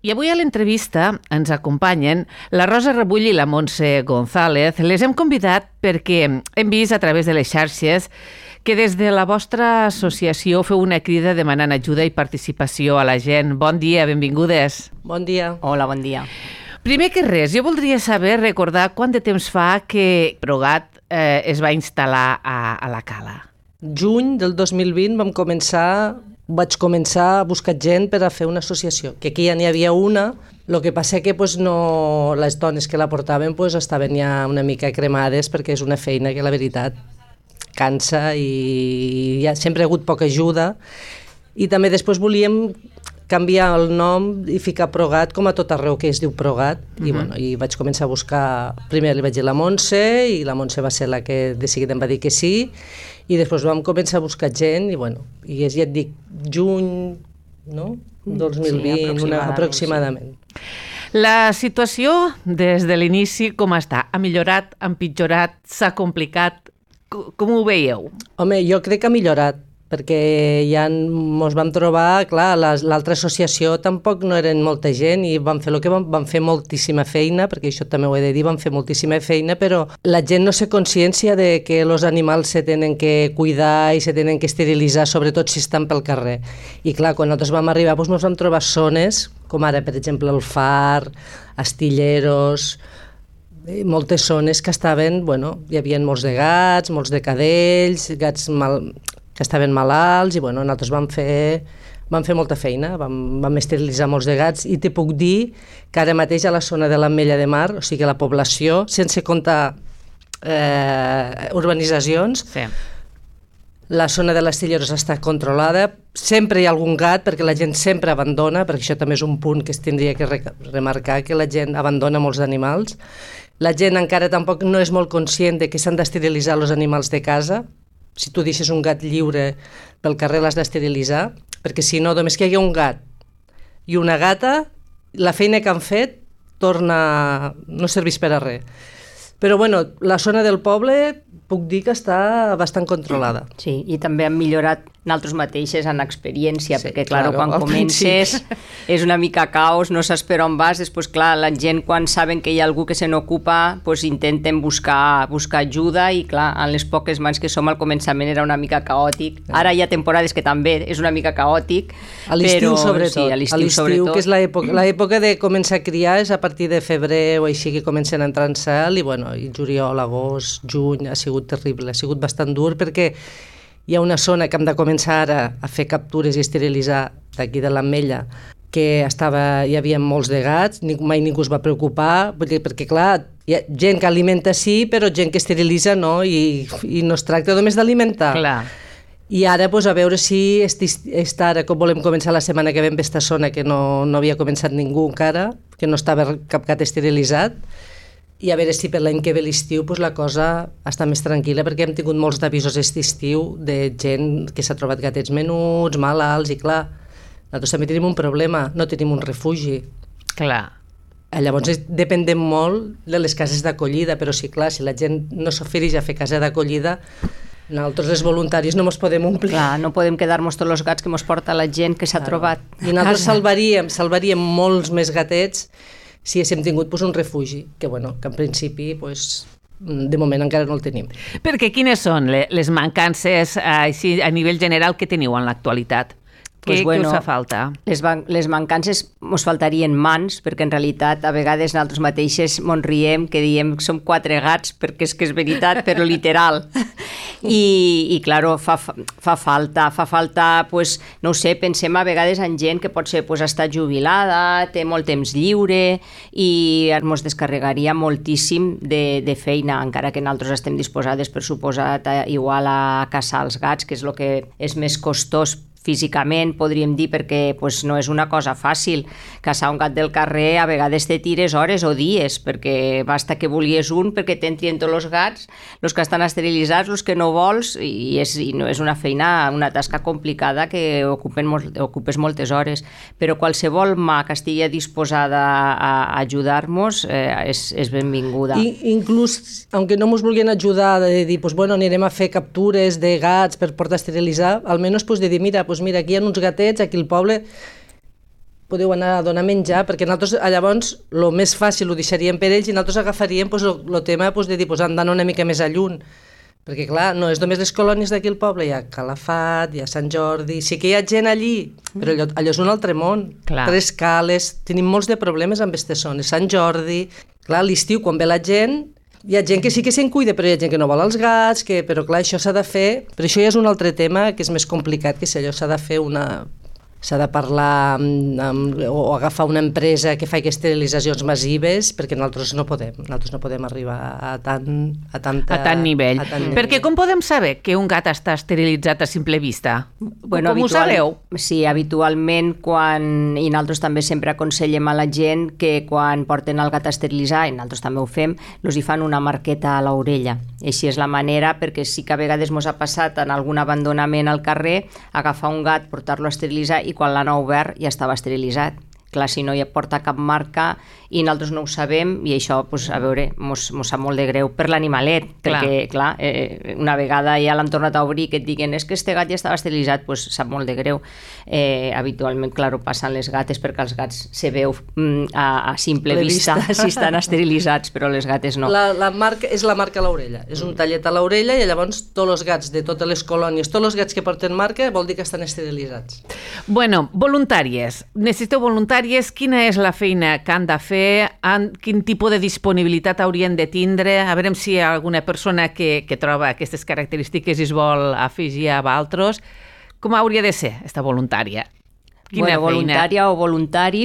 I avui a l'entrevista ens acompanyen la Rosa Rebull i la Montse González. Les hem convidat perquè hem vist a través de les xarxes que des de la vostra associació feu una crida demanant ajuda i participació a la gent. Bon dia, benvingudes. Bon dia. Hola, bon dia. Primer que res, jo voldria recordar quant de temps fa que Progat es va instal·lar a la Cala. Juny del 2020 vaig començar a buscar gent per a fer una associació, que aquí ja n'hi havia una, el que passa que les dones que la portaven estaven ja una mica cremades perquè és una feina que la veritat cansa i ja sempre ha hagut poca ajuda, i també després volíem canviar el nom i ficar Progat com a tot arreu que es diu Progat, i vaig començar a buscar, primer li vaig dir la Montse, i la Montse va ser la que de seguida em va dir que sí, i després vam començar a buscar gent, i ja et dic, juny, no? 2020, sí, aproximadament. La situació des de l'inici com està? Ha millorat, ha empitjorat, s'ha complicat? Com ho veieu? Home, jo crec que ha millorat, perquè ja ens vam trobar, clar, l'altra associació tampoc no eren molta gent i vam fer el que vam fer moltíssima feina, perquè això també ho he de dir, vam fer moltíssima feina, però la gent no sé consciència de que els animals se tenen que cuidar i se tenen que esterilitzar, sobretot si estan pel carrer. I clar, quan nosaltres vam arribar ens vam trobar zones, com ara, per exemple, el Far, Astilleros, moltes zones que estaven, hi havia molts de gats, molts de cadells, gats que estaven malalts, i nosaltres vam fer molta feina, vam esterilitzar molts de gats, i te puc dir que ara mateix a la zona de l'Ametlla de Mar, o sigui la població, sense comptar urbanitzacions, sí. La zona de l'Astilleros està controlada, sempre hi ha algun gat, perquè la gent sempre abandona, perquè això també és un punt que es tindria que remarcar, que la gent abandona molts animals. La gent encara tampoc no és molt conscient de que s'han d'esterilitzar els animals de casa. Si tu deixes un gat lliure pel carrer l'has d'esterilitzar, perquè si no, només que hi ha un gat i una gata, la feina que han fet no serveix per a res. Però la zona del poble puc dir que està bastant controlada. Sí, i també han millorat nosaltres mateixes en experiència, sí, perquè clar, quan comences és una mica caos, no saps per on vas, després clar, la gent quan saben que hi ha algú que se n'ocupa, intenten buscar ajuda, i clar, en les poques mans que som al començament era una mica caòtic. Ara hi ha temporades que també és una mica caòtic. A l'estiu sobretot. Sí, a l'estiu que és l'època de començar a criar, és a partir de febrer o així que comencen a entrar en cel, i juliol, agost, juny, ha sigut terrible, ha sigut bastant dur, perquè hi ha una zona que hem de començar ara a fer captures i esterilitzar d'aquí de l'Ametlla, que hi havia molts de gats, mai ningú es va preocupar, perquè clar, hi ha gent que alimenta sí, però gent que esterilitza no, i no es tracta només d'alimentar. Clar. I ara, a veure si ara, com volem començar la setmana que ve en aquesta zona, que no havia començat ningú encara, que no estava cap gat esterilitzat, i a veure si per l'any que ve l'estiu la cosa està més tranquil·la, perquè hem tingut molts d'avisos d'estiu de gent que s'ha trobat gatets menuts, malalts, i clar, nosaltres també tenim un problema, no tenim un refugi. Clar. Llavors dependem molt de les cases d'acollida, però sí, clar, si la gent no s'ofereix a fer casa d'acollida, nosaltres, els voluntaris, no ens podem omplir. Clar, no podem quedar-nos tots els gats que ens porta la gent que s'ha trobat. I nosaltres salvaríem molts més gatets si haguéssim tingut un refugi, que en principi de moment encara no el tenim. Perquè quines són les mancances així a nivell general que teniu en l'actualitat? Què us fa falta? Les mancances ens faltarien mans, perquè en realitat a vegades nosaltres mateixes mos riem que diem que som 4 gats, perquè és que és veritat, però literal. I claro, fa falta, no ho sé, pensem a vegades en gent que potser està jubilada, té molt temps lliure, i ens descarregaria moltíssim de feina, encara que nosaltres estem disposades, per suposat, igual a caçar els gats, que és el que és més costós físicament, podríem dir, perquè no és una cosa fàcil. Caçar un gat del carrer a vegades te tires hores o dies, perquè basta que volies un perquè t'entrien tots els gats, els que estan esterilitzats, els que no vols, i no és una feina, una tasca complicada que ocupes moltes hores, però qualsevol mà que estigui disposada a ajudar-nos és benvinguda. Inclús, aunque no ens vulguin ajudar, de dir, anirem a fer captures de gats per portar a esterilitzar, almenys de dir, mira, aquí hi ha uns gatets, aquí al poble, podeu anar a donar menjar, perquè nosaltres llavors el més fàcil ho deixaríem per ells i nosaltres agafaríem el tema de dir, han d'anar una mica més a lluny, perquè clar, no és només les colònies d'aquí al poble, hi ha Calafat, hi ha Sant Jordi, sí que hi ha gent allí, però allò és un altre món, Tres Cales, tenim molts de problemes amb aquestes zones, Sant Jordi, clar, a l'estiu quan ve la gent, hi ha gent que sí que se'n cuida, però hi ha gent que no vol els gats, però clar, això s'ha de fer, però això ja és un altre tema que és més complicat, que si allò s'ha de fer s'ha de parlar o agafar una empresa que faci esterilitzacions massives, perquè nosaltres no podem arribar a tant nivell. Perquè com podem saber que un gat està esterilitzat a simple vista? Com ho sabeu? Sí, habitualment i nosaltres també sempre aconsellem a la gent que quan porten el gat a esterilitzar, i nosaltres també ho fem, els hi fan una marqueta a l'orella. Així és la manera, perquè sí que a vegades ens ha passat en algun abandonament al carrer, agafar un gat, portar-lo a esterilitzar i quan l'han obert ja estava esterilitzat. Clar, si no hi porta cap marca i nosaltres no ho sabem i això, a veure, mos sap molt de greu per l'animalet, perquè, clar, una vegada ja l'han tornat a obrir que et diguen és que este gat ja estava esterilitzat, sap molt de greu. Habitualment, clar, ho passen les gates perquè els gats se veu a simple vista si estan esterilitzats, però les gates no. La marca és la marca a l'orella, és un tallet a l'orella i llavors tots els gats de totes les colònies, tots els gats que porten marca vol dir que estan esterilitzats. Bueno, voluntàries. Necessiteu voluntàries. Quina és la feina que han de fer? Quin tipus de disponibilitat haurien de tindre? A veure si hi ha alguna persona que troba aquestes característiques i es vol afegir a altres. Com hauria de ser aquesta voluntària? Voluntària o voluntari,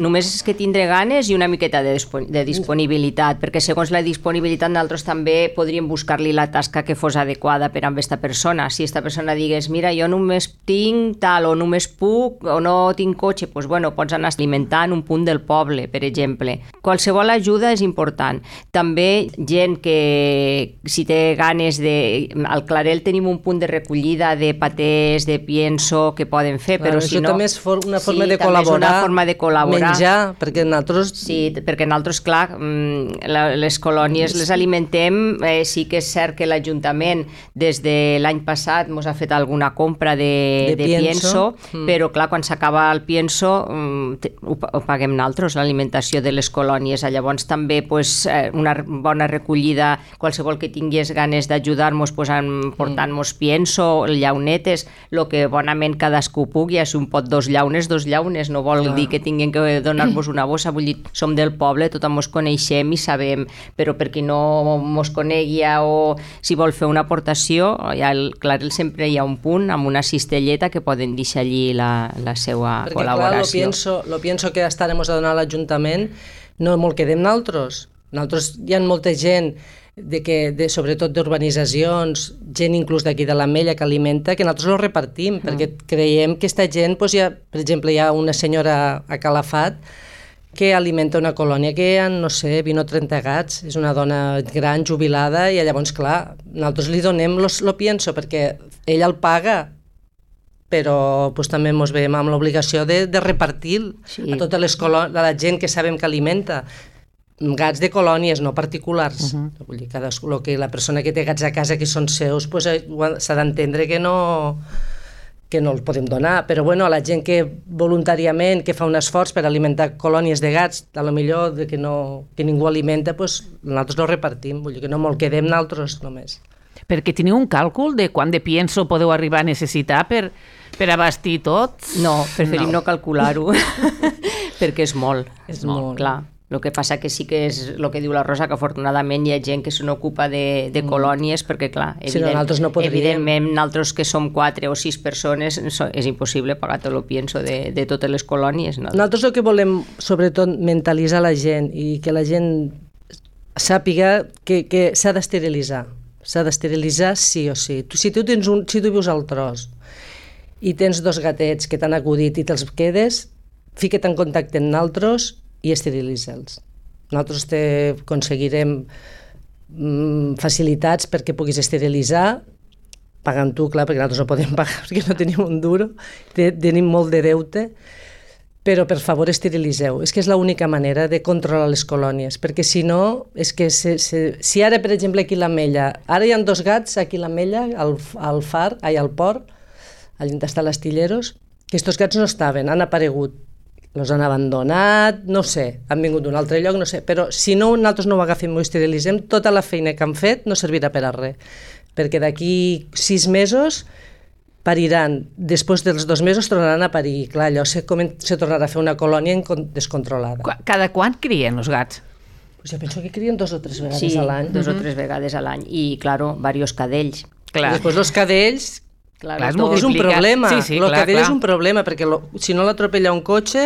només és que tindre ganes i una miqueta de disponibilitat, perquè segons la disponibilitat nosaltres també podríem buscar-li la tasca que fos adequada per a aquesta persona. Si aquesta persona digués, mira, jo només tinc tal o només puc o no tinc cotxe, doncs pots anar alimentant un punt del poble, per exemple. Qualsevol ajuda és important. També gent que si té ganes al Clarel tenim un punt de recollida de patés, de pienso que poden fer, però si no... Una forma de col·laborar, una forma de col·laborar, menjar, perquè nosaltres... Sí, perquè nosaltres, clar, les colònies les alimentem, sí que és cert que l'Ajuntament des de l'any passat ens ha fet alguna compra de pienso, però clar, quan s'acaba el pienso ho paguem nosaltres, l'alimentació de les colònies. Llavors també una bona recollida, qualsevol que tingués ganes d'ajudar-nos portant-nos pienso, llaunetes, el que bonament cadascú pugui, és un pot dos llaunes, no vol dir que tinguin que donar-nos una bossa, vull dir, som del poble, tothom ens coneixem i sabem, però per qui no ens conegui o si vol fer una aportació, al Clarel sempre hi ha un punt amb una cistelleta que poden deixar allí la seva col·laboració. Perquè clar, lo pienso que estarem a donar a l'Ajuntament no molt quedem nosaltres. Nosaltres hi ha molta gent sobretot d'urbanitzacions, gent inclús d'aquí de l'Ametlla que alimenta, que nosaltres ho repartim, perquè creiem que aquesta gent, per exemple, hi ha una senyora a Calafat que alimenta una colònia que hi ha, no sé, 20 o 30 gats, és una dona gran, jubilada, i llavors, clar, nosaltres li donem lo pienso, perquè ella el paga, però també ens veiem amb l'obligació de repartir a tota la gent que sabem que alimenta. Gats de colònies, no particulars. Vull dir, la persona que té gats a casa que són seus, s'ha d'entendre que no els podem donar, però a la gent que voluntàriament que fa un esforç per alimentar colònies de gats, potser que ningú alimenta, nosaltres no repartim, vull dir que no me'l quedem nosaltres només. Perquè teniu un càlcul de quant de pienso podeu arribar a necessitar per abastir tots? No, preferim no calcular-ho, perquè és molt. És molt, clar. El que passa que sí que és el que diu la Rosa, que afortunadament hi ha gent que se n'ocupa de colònies, perquè clar, evidentment nosaltres que som 4 o 6 persones és impossible pagar tot el pienso de totes les colònies. Nosaltres el que volem sobretot mentalitzar la gent i que la gent sàpiga que s'ha d'esterilitzar. S'ha d'esterilitzar sí o sí. Si tu vius al tros i tens 2 gatets que t'han acudit i te'ls quedes, fica't en contacte amb nosaltres i esterilitza'ls. Nosaltres aconseguirem facilitats perquè puguis esterilitzar, pagant tu, clar, perquè nosaltres no podem pagar perquè no tenim un duro, tenim molt de deute, però per favor esterilitzeu. És que és l'única manera de controlar les colònies, perquè si no, és que si ara, per exemple, aquí a l'Ametlla, ara hi ha 2 gats aquí a l'Ametlla, al port, allà on està l'Astilleros, que aquests gats no estaven, han aparegut. els han abandonat, no sé, han vingut d'un altre lloc, no sé, però si no nosaltres no ho agafem i ho esterilitzem, tota la feina que han fet no servirà per a res, perquè d'aquí 6 mesos pariran, després dels 2 mesos tornaran a parir, clar, allò se tornarà a fer una colònia descontrolada. Cada quant crien els gats? Pues jo penso que crien 2 o 3 vegades a l'any. Sí, 2 o 3 vegades a l'any, i, claro, diversos cadells. Clar. I després els cadells... Clar, és un problema, sí, el cadell és un problema, perquè si no l'atropella un cotxe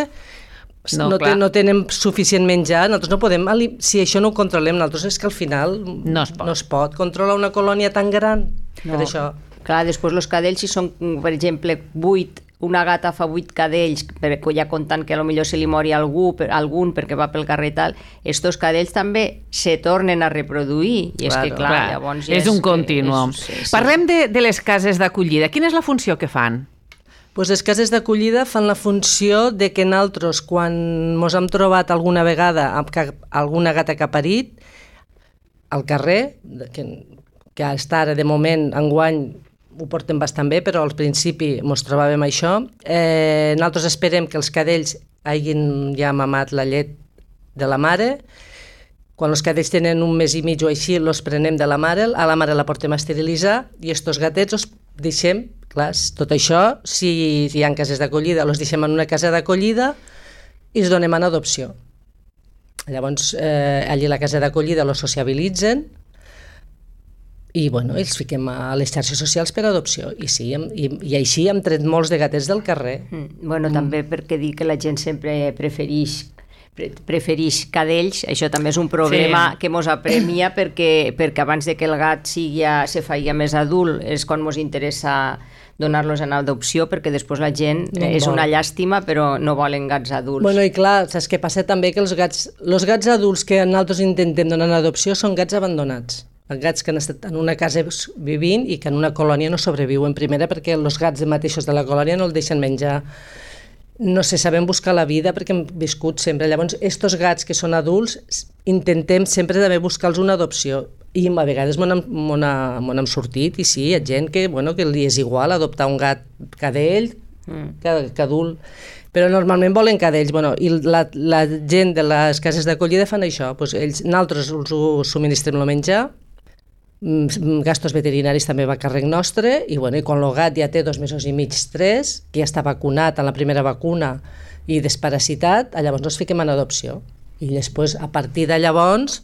no tenen suficient menjar, nosaltres no podem, si això no ho controlem, nosaltres és que al final no es pot controlar una colònia tan gran, per això. Clar, després els cadells, si són, per exemple, 8, una gata fa 8 cadells, ja comptant que potser se li mori algun perquè va pel carrer i tal, estos cadells també se tornen a reproduir, i és que clar, llavors... És un continuum. Parlem de les cases d'acollida. Quina és la funció que fan? Pues les cases d'acollida fan la funció de que nosaltres, quan ens hem trobat alguna vegada alguna gata que ha parit al carrer, que està ara de moment, enguany, ho portem bastant bé, però al principi ens trobàvem això. Nosaltres esperem que els cadells hagin ja mamat la llet de la mare. Quan els cadells tenen 1 mes i mig o així, els prenem de la mare, a la mare la portem a esterilitzar i estos gatets els deixem, clar, tot això, si hi ha cases d'acollida, els deixem en una casa d'acollida i els donem en adopció. Llavors, allí a la casa d'acollida els sociabilitzen, i bueno, els fiquem a les xarxes socials per adopció, i sí, i així hem tret molts de gatets del carrer. Bueno, també perquè dir que la gent sempre prefereix cadells, això també és un problema que mos apremia, perquè abans de que el gat se faci més adult és quan mos interessa donar-los en adopció, perquè després la gent és una llàstima, però no volen gats adults. Bueno, i clar, saps què passa també? Que els gats adults que nosaltres intentem donar en adopció són gats abandonats. Gats que han estat en una casa vivint i que en una colònia no sobreviuen, primera perquè els gats mateixos de la colònia no el deixen menjar, no sé, sabem buscar la vida perquè hem viscut sempre. Llavors, estos gats que són adults, intentem sempre també buscar-los una adopció, i a vegades m'on hem sortit, i sí, hi ha gent que li és igual adoptar un gat cadell que adult, però normalment volen cadells. I la gent de les cases d'acollida fan això, nosaltres els subministrem el menjar, gastos veterinaris també va a càrrec nostre, i quan el gat ja té 2 mesos i mig, 3, que ja està vacunat amb la primera vacuna i desparasitat, llavors ens fiquem en adopció. I després, a partir de llavors,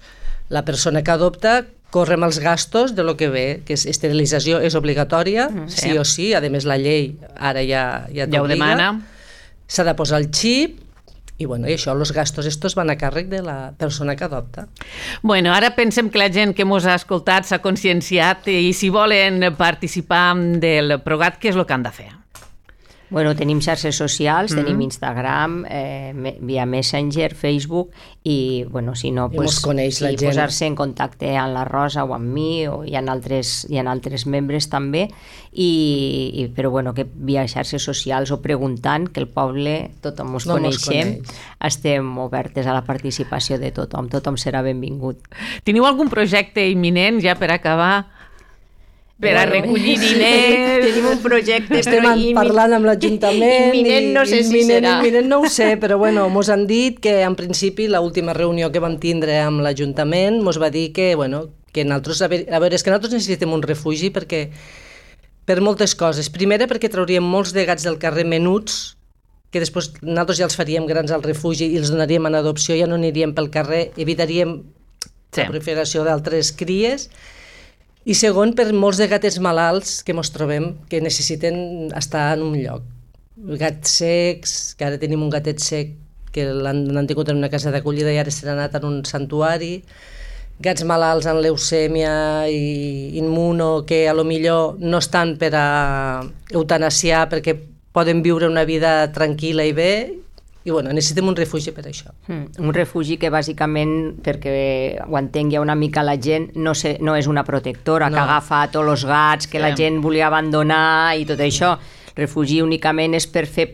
la persona que adopta corre amb els gastos de lo que ve, que és esterilització és obligatòria, sí o sí, a més la llei ara ja ho demana. S'ha de posar el xip, i això, els gastos estos van a càrrec de la persona que adopta. Bueno, ara pensem que la gent que mos ha escoltat s'ha conscienciat, i si volen participar del ProGat, què és el que han de fer? Bueno, tenim xarxes socials, tenim Instagram, via Messenger, Facebook, i si no, posar-se en contacte amb la Rosa o amb mi, o hi ha altres membres també, però que via xarxes socials o preguntant, que el poble tothom ens coneixem, estem obertes a la participació de tothom serà benvingut. Teniu algun projecte imminent ja per acabar? Per a recollir diners... Tenim un projecte... Estem parlant amb l'Ajuntament... Imminent no sé si serà. Imminent no ho sé, però mos han dit que en principi l'última reunió que vam tindre amb l'Ajuntament mos va dir que nosaltres... A veure, és que nosaltres necessitem un refugi per moltes coses. Primera, perquè trauríem molts de gats del carrer menuts, que després nosaltres ja els faríem grans al refugi i els donaríem en adopció, ja no aniríem pel carrer, evitaríem la proliferació d'altres cries. I segon, per molts de gatets malalts que ens trobem, que necessiten estar en un lloc. Gats secs, que ara tenim un gatet sec que l'han tingut en una casa d'acollida i ara s'ha anat en un santuari. Gats malalts amb leucèmia i immuno, que a lo millor no estan per a eutanasiar perquè poden viure una vida tranquil·la i bé, i necessitem un refugi per això. Un refugi que bàsicament, perquè ho entengui una mica la gent, no és una protectora que agafa tots els gats que la gent volia abandonar i tot això. refugi únicament és per fer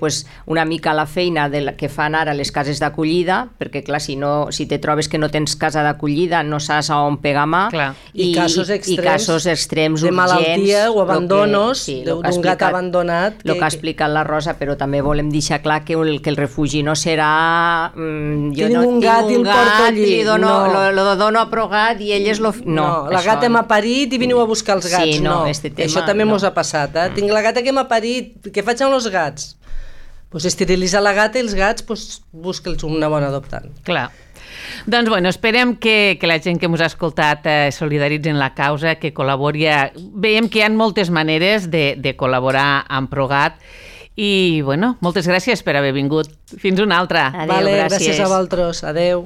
una mica la feina que fan ara les cases d'acollida, perquè clar, si te trobes que no tens casa d'acollida no saps a on pegar mà, i casos extrems de urgents, malaltia o abandonos d'un gat abandonat. El que ha explicat la Rosa, però també volem deixar clar que el refugi no serà tinc un gat i el porto allí. Lo dono a progat i ell és lo... No, la gata m'ha parit i veniu a buscar els gats. Sí, no, això també mos ha passat. Tinc la gata que m'ha parit, què faig amb els gats? Esterilitzar la gata i els gats, busca'ls una bona adoptant. Clar. Doncs, bueno, esperem que la gent que ens ha escoltat solidaritzen la causa, que col·labori. Veiem que hi ha moltes maneres de col·laborar amb Progat i, bueno, moltes gràcies per haver vingut. Fins una altra. Adéu, gràcies. Gràcies a vosaltres. Adéu.